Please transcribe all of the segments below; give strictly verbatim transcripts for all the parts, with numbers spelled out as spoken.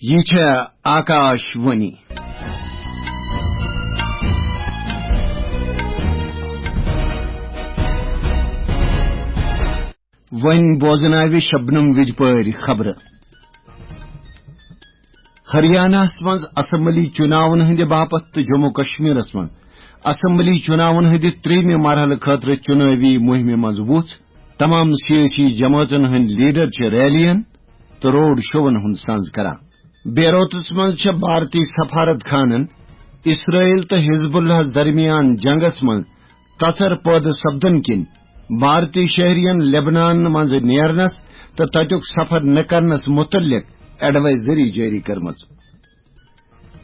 یہِ چھےٚ آکاش وانی۔ وۄنۍ بوزناوِ شبنم وِجپٲرۍ خبرٕ۔ ہریاناہس منٛز اسمبلی چُناون ہٕنٛدِ باپتھ تہٕ جموں کشمیرس منٛز اسمبلی چُناون ہٕنٛدِ ترٛیٚیِمہِ مرحلہٕ خٲطرٕ چُنٲوی مُہمہِ منٛز وُژھ۔ تمام سیٲسی جمٲژن ہٕنٛدۍ لیڈر چھِ ریلین تہٕ روڈ شوون ہُنٛد سنز کران۔ بیروتس منٛز چھِ بھارتی سفارت خانن اسرائیل تہٕ حزب اللہس درمیان جنگس منٛز تژر پٲدٕ سپدن کِنۍ بھارتی شہرین لبنان منٛز نیرنس تہٕ تتیُک سفر نہٕ کرنس متعلق ایڈوائزری جٲری کٔرمٕژ۔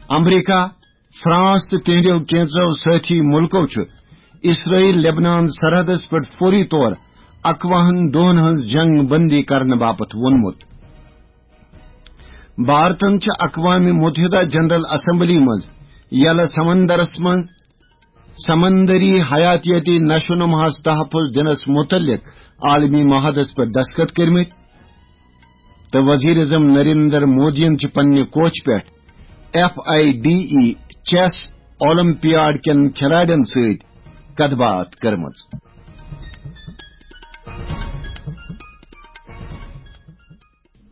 امریکہ، فرانس تہٕ تہنٛدیو کینژو سٲتھی مُلکو چھُ اسرائیل لبنان سرحدس پٮ۪ٹھ فوری طور اکوُہن دۄہن ہٕنٛز جنگ بندی کرنہٕ باپتھ ووٚنمُت۔ بھارتن چھِ اقوام متحدہ جنرل اسمبلی منٛز یلہ سمندرس منٛز سمندری حیاتیٲتی نشو نماہس تحفظ دِنس متعلق عالمی معاہدس پٮ۪ٹھ دستخط کٔرمٕتۍ۔ تہٕ وزیر اعظم نریندر مودیَن چھِ پننہِ کوچہِ پٮ۪ٹھ F I D E chess olympiad کٮ۪ن کھلاڑٮ۪ن سۭتۍ کتھ باتھ کٔرمٕژ۔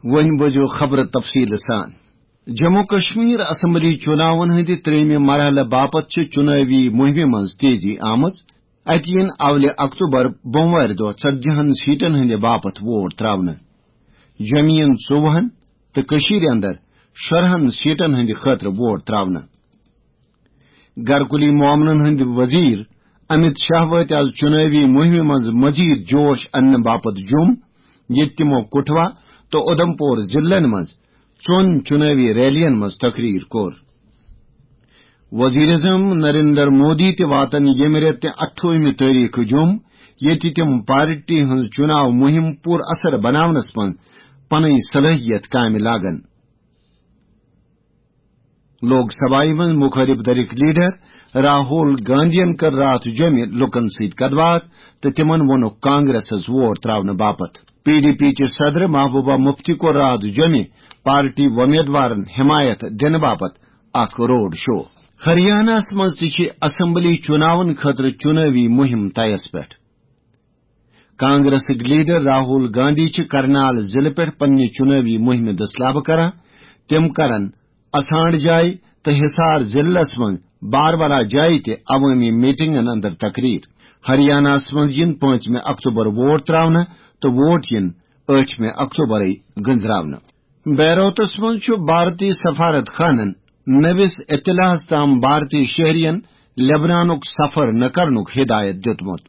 وۄنۍ بوزِو خبرٕ تفصیٖل سان۔ جموں کشمیر اسمبلی چُناون ہٕنٛدِ ترٛیٚیِمہِ مرحلہٕ باپتھ چھِ چُنٲوی مُہمہِ منٛز تیزی آمٕژ۔ اتہِ یِن اولہِ اکتوبر بوموارِ دۄہ ژتجی ہن سیٹن ہٕنٛدِ باپتھ ووٹ تراونہٕ۔ جوٚمہِ یِن ژوٚوُہن تہٕ کٔشیٖرِ اندر شُراہن سیٹن ہٕنٛدِ خٲطرٕ ووٹ تراونہٕ۔ گرکُلی معاملن ہٕنٛدۍ وزیر امیت شاہ وٲتۍ از چُنٲوی مُہمہِ منٛز مزید جوش اننہٕ باپتھ جوٚم، ییٚتہِ تِمو کٹھوا تہٕ اُدھمپور ضلعن منٛز ژۄن چُنٲوی ریلین منٛز تقریر کوٚر۔ وزیر اعظم نریندر مودی تہِ واتن ییٚمہِ رٮ۪تہٕ اَٹھووُہمہِ تٲریخہٕ جوٚم، ییٚتہِ تِم پارٹی ہٕنٛز چُناو مُہِم پُر اثر بناونس منٛز پنٕنۍ صلٲحیت کامہِ لاگن۔ لوک سبھایہ منٛز مخٲلف دھرٕکۍ لیڈر راہول گاندھین کٔر راتھ جوٚمہِ لوٗکن سۭتۍ کتھ باتھ تہٕ تِمن ووٚنُکھ کانگریسس ووٹ تراونہٕ باپتھ۔ پی ڈی پی چہِ صدر محبوبہ مفتی کوٚر راتھ جوٚمہِ پارٹی وۄمیدوارن حمایت دِنہٕ باپتھ اکھ روڈ شو۔ ہریاناہس منٛز تہِ چھِ اسمبلی چُناون خٲطرٕ چُنٲوی مُہِم طیس پٮ۪ٹھ۔ کانگریسٕکۍ لیڈر راہول گاندھی چھِ کرنال ضلعہٕ پٮ۪ٹھ پننہِ چُنٲوی مُہِمہِ دٔسلابہٕ کران۔ تِم کرن اسانڈ جاے تہٕ حصار ضلعس منٛز باروالا جایہِ تہِ عوٲمی میٹنگن اندر تقریر۔ ہریاناہس منٛز یِن پانٛژمہِ اکتوبر ووٹ تراونہٕ تہٕ ووٹ یِن ٲٹھمہِ اکتوبرے گٔنزراونہٕ۔ بیروتس منٛز چھُ بھارتی سفارت خانن نٔوِس اطلاعس تام بھارتی شہرین لبنانُک سفر نہٕ کرنُک ہدایت دِیُتمُت۔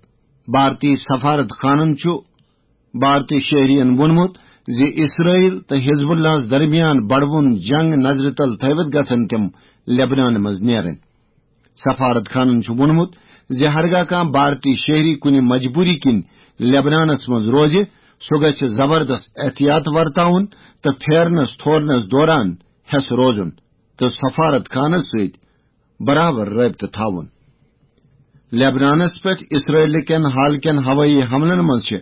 بھارتی سفارت خانن چھُ بھارتی شہرین ووٚنمُت زِ اسرائیل تہٕ حزب اللہس درمیان بڑوُن جنگ نظرِ تل تھٲوِتھ گژھن تِم لبنان منٛز نیرٕنۍ۔ سفارت خانن چھُ ووٚنمُت زِ ہرگاہ کانٛہہ بھارتی شہری کُنہِ مجبوری کِنۍ لبنانس منٛز روزِ، سُہ گژھِ زبردست احتیاط ورتاوُن تہٕ پھیرنس تھورنس دوران ہٮ۪س روزُن تہٕ سفارت خانس سۭتۍ برابر رٲبطہٕ تھاوُن۔ لبنانس پٮ۪ٹھ اسرائیل کٮ۪ن حال کٮ۪ن ہوٲیی حملن منٛز چھِ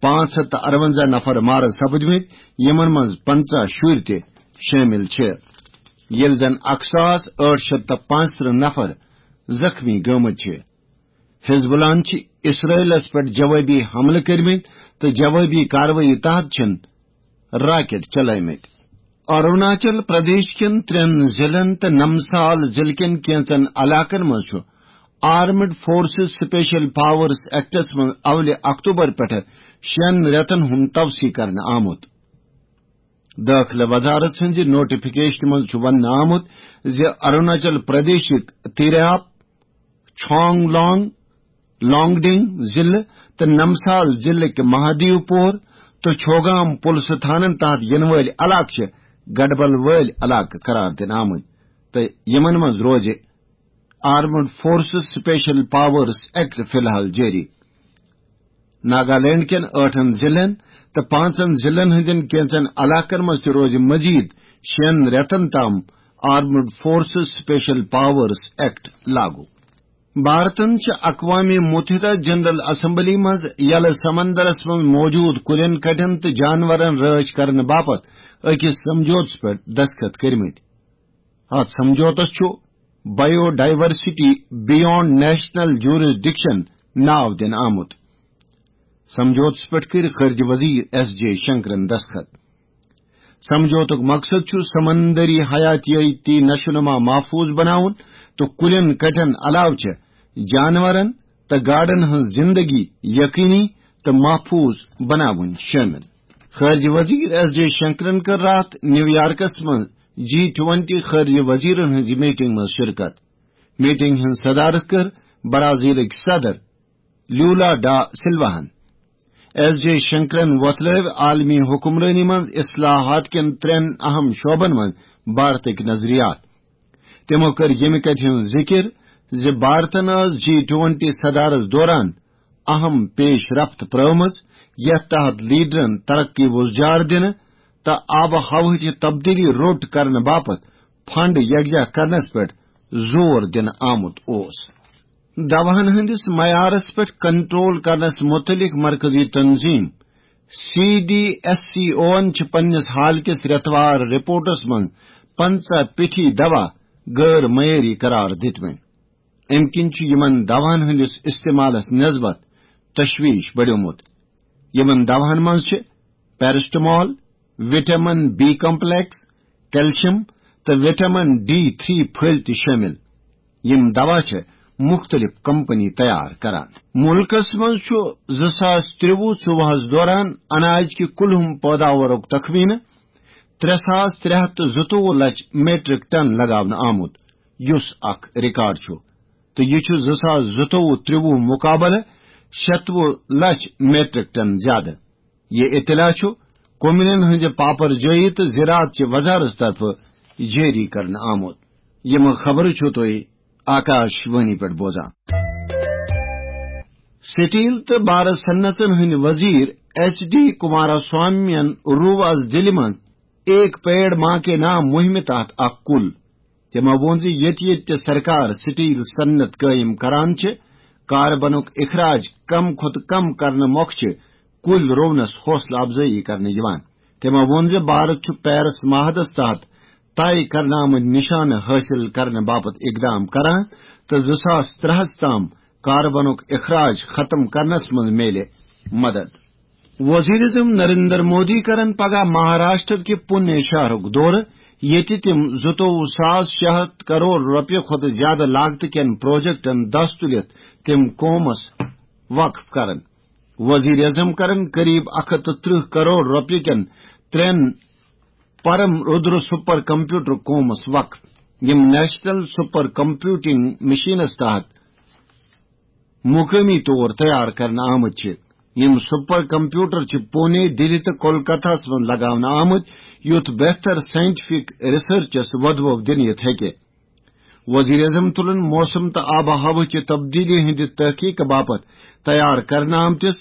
پانٛژھ ہتھ تہٕ ارونزاہ نفر مارٕ سپٕدمٕتۍ، یِمن منٛز پنژاہ شُرۍ تہِ شٲمِل چھِ، ییٚلہِ زن اکھ ساس ٲٹھ شیٚتھ تہٕ پانٛژترٕہ نفر زخمی گٔمٕتۍ چھِ۔ حزب اللہن چھِ اسرائیلس پٮ۪ٹھ جوابی حملہٕ کٔرمٕتۍ تہٕ جوابی کاروٲیی تحت چھِن راکٹ چلٲومٕتۍ۔ اروناچل پردیش کٮ۪ن ترٛٮ۪ن ضلعن تہٕ نمسال ضلعہٕ کٮ۪ن کینٛژن علاقن منٛز چھُ armed forces special powers acts منٛز اولہِ اکتوبر پٮ۪ٹھٕ شٮ۪ن رٮ۪تن ہُنٛد توسیع کرنہٕ آمُت۔ دٲخلہٕ وزارت سٕنٛزِ نوٹیفکیشنہِ منٛز چھُ وننہٕ آمُت زِ اروناچل پردیشٕکۍ تیراب، چھانگ لانگ، لانگڈنگ ضلعہٕ تہٕ نمسال ضلعٕکۍ مہادیو پور تہٕ چھوگام پُلسہٕ تھانن تحت یِنہٕ وٲلۍ علاقہٕ چھِ گڈبل وٲلۍ علاقہٕ قرار دِنہٕ آمٕتۍ تہٕ یِمن منٛز روزِ armed forces special powers act فی الحال جٲری۔ ناگالینڈ کٮ۪ن ٲٹھن ضلعن تہٕ پانٛژن ضلعن ہٕنٛدٮ۪ن کینٛژن علاقن منٛز تہِ روزِ مزید شٮ۪ن رٮ۪تن تام armed forces special powers act لاگو۔ بھارتن چھِ اقوام متحدہ جنرل اسمبلی منٛز یلہٕ سمندرس منٛز موجود کُلٮ۪ن کٹٮ۪ن تہٕ جانورن رٲچھ کرنہٕ باپتھ أکِس سمجھوتس پٮ۪ٹھ دستخط کٔرمٕتۍ۔ اتھ سمجھوتس چھُ بایو ڈائیورسٹی بیانڈ نیشنل جورسڈکشن ناو دِنہٕ آمُت۔ سمجھوتس پٮ۪ٹھ کٔرۍ خارجہ وزیر ایس جے شنکرن دستخط۔ سمجھوتُک مقصد چھُ سمندری حیاتیٲتی نشو نما محفوظ بناوُن تہٕ کُلٮ۪ن کٹٮ۪ن علاوٕ چھِ جانورن تہٕ گاڈن ہٕنٛز زندگی یقینی تہٕ محفوظ بناوٕنۍ شٲمِل۔ خارجہ وزیر ایس جے شنکرن کٔر راتھ نیویارکس منٛز جی ٹوئنٹی خارجہ وزیرن ہٕنٛزِ میٹنگ منٛز شرکت۔ میٹنگ ہٕنٛز صدارت کٔر برازیلٕکۍ صدر لیولا ڈا سلواہن۔ ایس جے شنکرن وۄتلٲوۍ عالمی حکمرٲنی منٛز اصلاحات کٮ۪ن ترٛٮ۪ن اہم شعبن منٛز بھارتٕکۍ نظریات۔ تِمو کٔر ییٚمہِ کتھِ ہُنٛد ذِکِر زِ بھارتن ٲس جی ٹوئنٹی صدارس دوران اہم پیش رفت پرٲومٕژ، یتھ تحت لیڈرن ترقی وُزجار دِنہٕ تہٕ آب و ہوہٕچ تبدیلی روٚٹ کرنہٕ باپتھ فنڈ یکجا کرنس پٮ۪ٹھ زور دِنہٕ آمُت اوس۔ دوہن ہٕنٛدِس معیارس پٮ۪ٹھ کنٹرول کرنس متعلق مرکزی تنظیم سی ڈی ایس سی اوَن چھِ پننِس حال کِس رٮ۪توار رپورٹس منٛز پنٛژاہ پیٹھی دوا غٲر معیٲری قرار دِتمٕتۍ۔ امہِ کِنۍ چھُ یِمن دوہن ہٕنٛدِس استعمالس نسبت تشویش بڑیومُت۔ یِمن دوہن منٛز چھِ paracetamol, vitamin B complex, calcium تہٕ وٹامن ڈی تھری پھٔلۍ تہِ شٲمِل۔ یِم دوا چھِ مُختٔلِف کمپنی تیار کران۔ مُلکس منٛز چھُ زٕ ساس ترٛوُہ ژوٚوُہس دوران اناج کہِ کُلہُم پٲداوارُک تخمینہٕ ترٛےٚ ساس ترٛےٚ ہتھ تہٕ زٕتووُہ لچھ میٹرک ٹن لگاونہٕ آمُت، یُس اکھ ریکارڈ چھُ، تہٕ یہِ چھُ زٕ ساس زٕتووُہ ترٛوُہ مقابلہٕ شتوُہ لچھ میٹرک ٹن زیادٕ۔ یہِ اطلاع چھُ کمنن ہٕنٛزِ پاپر جٲیی تہٕ زراعت چہِ وزارت طرفہٕ جٲری کرنہٕ آمُت۔ یِم خبرٕ چھِو تُہۍ آکاش وانی پٮ۪ٹھ بوزان۔ سٹیل تہٕ بارٕ صنعژن ہٕنٛدۍ وزیر ایچ ڈی کمارا سوامین روو از دِلہِ منٛز ایک پیڑ ماں کے نام مُہِمہِ تحت اکھ کُل۔ تِمو ووٚن زِ ییٚتہِ ییٚتہِ تہِ سرکار سٹیل صنعت قٲیِم کران چھِ، کاربنُک اخراج کم کھۄتہٕ کم کرنہٕ مۄکھٕ چھِ کُلۍ رُونس حوصلہٕ افزٲیی کرنہٕ یِوان۔ تِمو ووٚن زِ بھارت چھُ پیرس معاہدس تحت طے کرنہٕ آمٕتۍ نشانہٕ حٲصِل کرنہٕ باپتھ اقدام کران تہٕ زٕ ساس ترٛہس تام کاربنُک اخراج ختم کرنس منٛز میلہِ مدد۔ وزیر اعظم نریندر مودی کرن پگاہ مہاراشٹر کہِ پُنے شہرُک دورٕ، ییٚتہِ تِم زٕتووُہ ساس شےٚ ہتھ کرور رۄپیہِ کھۄتہٕ زیادٕ لاگتہٕ کٮ۪ن پروجیکٹن دس تُلِتھ تِم قومس وقف کرن۔ وزیر اعظم کرن قریب اکھ ہتھ تہٕ ترٕہ کرور رۄپیہِ کٮ۪ن ترٛٮ۪ن پرم رودر سپر کمپیوٹر قومس وقف، یِم نیشنل سپر کمپیوٹنگ مشینس تحت مقٲمی طور تیار کرنہٕ آمٕتۍ چھِ۔ یِم سپر کمپیوٹر چھِ پونے، دِلہِ تہٕ کولکتہس منٛز لگاونہٕ آمٕتۍ، یُتھ بہتر سائنٹیفک ریسرچس وۄدوَو دِنہٕ یِتھ ہیٚکہِ۔ وزیر اعظم تُلن موسم تہٕ آب و ہوہٕچہِ تبدیلی ہٕنٛدِ تحقیق باپتھ تیار کرنہٕ آمتِس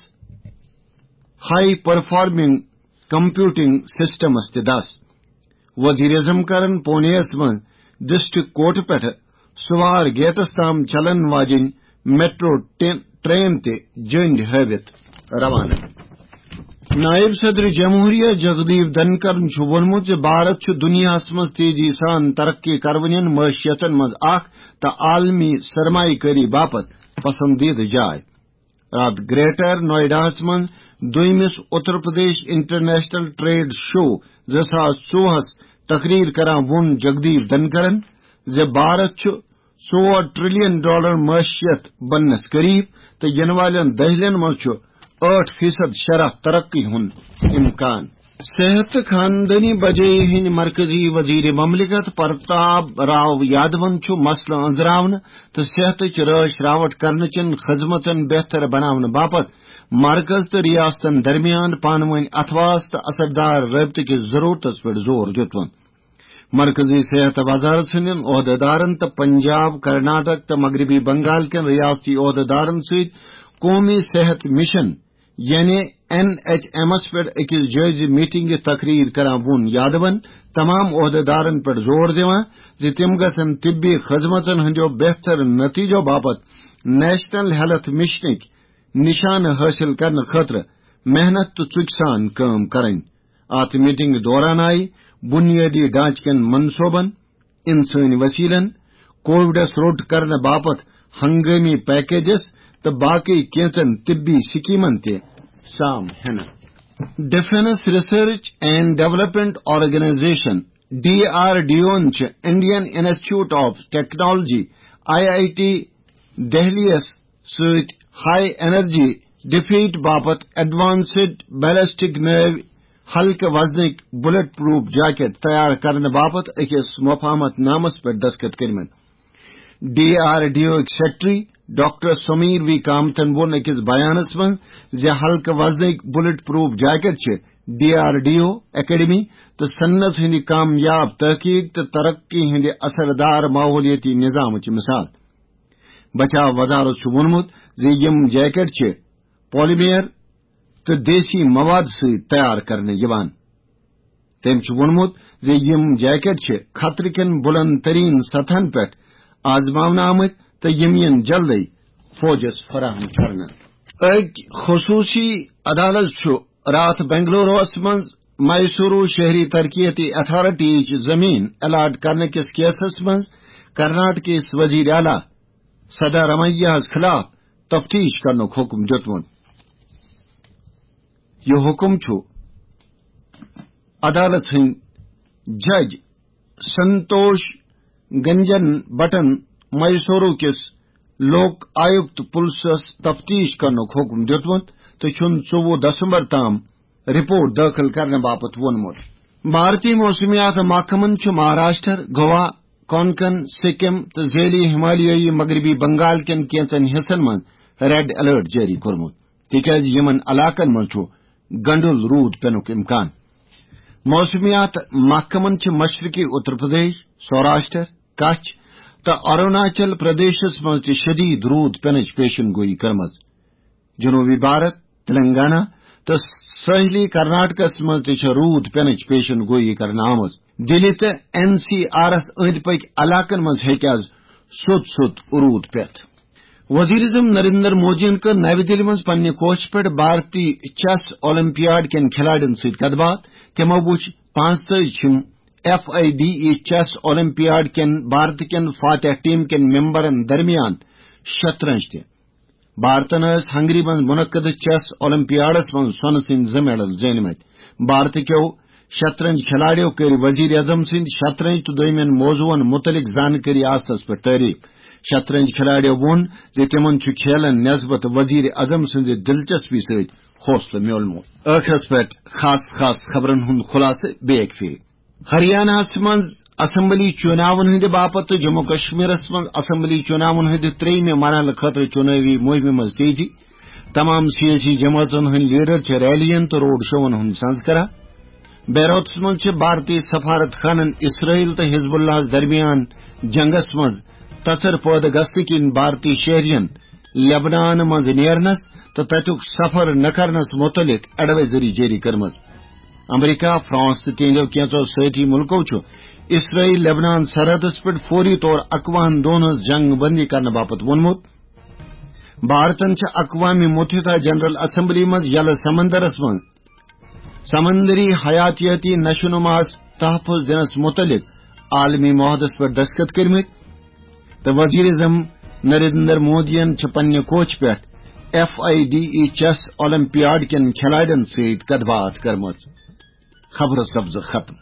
ہائی پرفارمنگ کمپیوٹنگ سسٹمس تہِ دس۔ وزیر اعظم کرن پونیس منٛز ڈسٹرکٹ کورٹ پٮ۪ٹھٕ سوار گیٹس تام چلن واجٮ۪ن میٹرو ٹین، ٹرین تہِ جٔنڈۍ ہٲوِتھ روانہٕ۔ نائب صدر جمہوریہ جگدیپ دھنکرن چھُ ووٚنمُت زِ بھارت چھُ دُنیاہس منٛز تیزی سان ترقی کرونین معیشتن منٛز اکھ تہٕ عالمی سرمایہ کٲری باپتھ پسندیدٕ جاے۔ راتھ گریٹر نوئیڈاہس منٛز دوٚیمِس Uttar Pradesh international trade show زٕ ساس ژوٚوُہس تقریر کران ووٚن جگدیپ دھنکرن زِ بھارت چھُ ژور ٹریلین ڈالر معیشت بننس قریب تہٕ یِنہٕ والٮ۪ن دہلین منٛز چھُ ٲٹھ فیصد شرح ترقی ہُنٛد امکان۔ صحت تہٕ خاندٲنی بجٲیی ہٕنٛدۍ مرکزی وزیر مملکت پرتاب راو یادون چھُ مسلہٕ أنٛزراونہٕ تہٕ صحتٕچ رٲچھ راوٹھ کرنہٕ چٮ۪ن خدمژن بہتر بناونہٕ باپتھ مرکز تہٕ ریاستن درمیان پانہٕ وٲنۍ اتھواس تہٕ اثردار رٲبطہٕ کِس ضرورتس پٮ۪ٹھ زور دیُتمُت۔ مرکزی صحت وزارت ہٕنٛدٮ۪ن عہدیدارن تہٕ پنجاب، کرناٹک تہٕ مغربی بنگال کٮ۪ن ریاستی عہدیدارن سۭتۍ قومی صحت مشن یعنی این ایچ ایمس پٮ۪ٹھ أکِس جٲیزٕ میٹنگہِ تقریر کران ووٚن یادون تمام عہدیدارن پٮ۪ٹھ زور دِوان زِ تِم گژھن طبی خدمژن ہٕنٛدیو بہتر نتیجو باپتھ نیشنل ہیلتھ مشنٕکۍ نشانہٕ حٲصِل کرنہٕ خٲطرٕ محنت تہٕ ژُکۍ سان کٲم کرٕنۍ۔ اتھ میٹنگ دوران آیہِ بنیٲدی ڈھانچہٕ کٮ۪ن منصوبن، انسٲنی وسیلن، کووڈس روٚٹ کرنہٕ باپتھ ہنگٲمی پیکیجس تہٕ باقی کینژن طبی سکیمن تہِ سام ہینہٕ۔ Defence Research and Development Organisation, D R D O ہن چھِ Indian Institute of Technology, I I T Delhi یس سۭتۍ ہائی انرجی ڈیفیٹ باپتھ ایڈوانسڈ بیلسٹک نٲوۍ ہلکہٕ وزنٕکۍ بلٹ پروف جیکٹ تیار کرنہٕ باپتھ أکِس مفاہمت نامس پٮ۪ٹھ دستخط کٔرمٕتۍ۔ ڈی آر ڈی او ہٕکۍ سیکرٹری ڈاکٹر سمیر وی کامتھن ووٚن أکِس بیانس منٛز زِ ہلکہٕ وزنٕکۍ بلٹ پروف جیکٹ چھِ D R D O academy تہٕ صنعت ہٕنٛدِ کامیاب تحقیق تہٕ ترقی ہٕنٛدِ اثر دار ماحولیٲتی نظامٕچ مثال۔ بچاو وزارت چھُ ووٚنمُت زِ یِم جیکٹ چھِ پالیمر تہٕ دیسی مواد سۭتۍ تیار کرنہٕ یِوان۔ تٔمۍ چھُ ووٚنمُت زِ یِم جیکٹ چھِ خطرٕ کٮ۪ن بُلند تریٖن سطحن پٮ۪ٹھ آزماونہٕ آمٕتۍ تہٕ یِم یِن جلدٕے فوجس فراہم کرنہٕ۔ أکۍ خصوٗصی عدالت چھُ راتھ بنگلوروَس منٛز میسورو شہری ترقیتی اتھارٹیچ زمین الاٹ کرنہٕ کِس کیسس منٛز کرناٹکس وزیر اعلیٰ سدارامیا ہَس خلاف تفتیش کرنُک حکم دیُتمُت۔ یہِ حکم چھُ عدالت ہٕنٛدۍ جج سنتوش گنجن بٹن میسورو کِس لوک آیُکت پُلسس تفتیش کرنُک حکم دیُتمُت تہٕ چھُن ژوٚوُہ دسمبر تام رپورٹ دٲخل کرنہٕ باپتھ ووٚنمُت۔ بھارتی موسمیات محکمن چھُ مہاراشٹر، گوا، کونکن، سکم تہٕ ذیلی ہمالیٲیی مغربی بنگال کٮ۪ن کینٛژن حصن منٛز ریڈ الرٹ جٲری کوٚرمُت، تِکیازِ یِمن علاقن منٛز چھُ گنڈُل روٗد پینُک امکان۔ موسمیات محکمن چھِ مشرقی اتر پردیش، سوراشٹر، کچھ تہٕ اروناچل پردیشس منٛز تہِ شدید روٗد پینٕچ پیشن گویی کٔرمٕژ۔ جنوبی بھارت، تلنگانہ تہٕ ساحلی کرناٹکس منٛز تہِ چھےٚ روٗد پینٕچ پیشن گویی کرنہٕ آمٕژ۔ دِلہِ تہٕ این سی آرس أنٛدۍ پٔکۍ علاقن منٛز ہیٚکہِ آز سوٚت سوٚت روٗد پٮ۪تھ۔ وزیر اعظم نریندر مودیَن کٔر نَوِ دِلہِ منٛز پننہِ کوٹھہِ پٮ۪ٹھ بھارتی چیس اولمپیاڈ کٮ۪ن کھلاڑٮ۪ن سۭتۍ کتھ باتھ۔ تِمو وُچھ پانٛژتٲجِم F I D E chess olympiad کٮ۪ن بھارت کٮ۪ن فاتح ٹیم کٮ۪ن ممبرن درمیان شطرنج تہِ۔ بھارتن ٲسۍ ہنگری منٛز منعقدٕ چیس اولمپیاڈس منٛز سۄنہٕ سٕنٛدۍ زٕ میڈل زیٖنمٕتۍ۔ بھارت کیو شطرنج کھلاڑیو کٔرۍ وزیر اعظم سٕنٛدۍ شطرنج تہٕ دوٚیمٮ۪ن موضوعن مُتعلق زانکٲری آسنس پٮ۪ٹھ تعریف۔ شطرنج کھلاڑیو ووٚن زِ تِمن چھُ کھیلن نسبت وزیر اعظم سٕنٛزِ دلچسپی سۭتۍ حوصلہٕ میولمُت۔ ٲخرس پٮ۪ٹھ خاص خاص خبرن ہُنٛد خلاصہٕ بیٚیہِ اکہِ پھِرِ۔ ہریاناہس منٛز اسمبلی چوناون ہٕنٛدِ باپتھ تہٕ جموں کشمیرس منٛز اسمبلی چوناون ہٕنٛدِ ترٛیٚیِمہِ مرحلہٕ خٲطرٕ چونٲوی مُہمہِ منٛز تیزی۔ تمام سیٲسی جمٲژن ہٕنٛدۍ لیڈر چھِ ریلین تہٕ روڈ شوون ہُنٛد سنز کران۔ بیروتس منٛز چھِ بھارتی سفارت خانن اسرائیل تہٕ حزب اللہس درمیان جنگس منٛز تژر پٲدٕ گژھنہٕ کِنۍ بھارتی شہرین لبنان منٛز نیرنس تہٕ تتیُک سفر نہ کرنس متعلق ایڈوائزری جٲری کٔرمٕژ۔ امریکہ، فرانس تہٕ تہنٛدیو کینٛژو سٲتھی مُلکو چھُ اسرائیل لبنان سرحدس پٮ۪ٹھ فوری طور اکوُہن دۄہن ہٕنٛز جنگ بندی کرنہٕ باپتھ ووٚنمُت۔ بھارتن چھِ اقوام متحدہ جنرل اسمبلی منٛز یلہٕ سمندرس منٛز سمندری حیاتیٲتی نشو نماہس تحفظ دِنس متعلق عالمی معاہدس پٮ۪ٹھ دستخط کٔرمٕتۍ تہٕ وزیر اعظم نریندر مودیَن چھِ پننہِ کوٹھۍ پٮ۪ٹھ F I D E chess olympiad کٮ۪ن کھلاڑٮ۪ن سۭتۍ کتھ باتھ کٔرمٕژ۔ خبرٕ سبزٕ ختم۔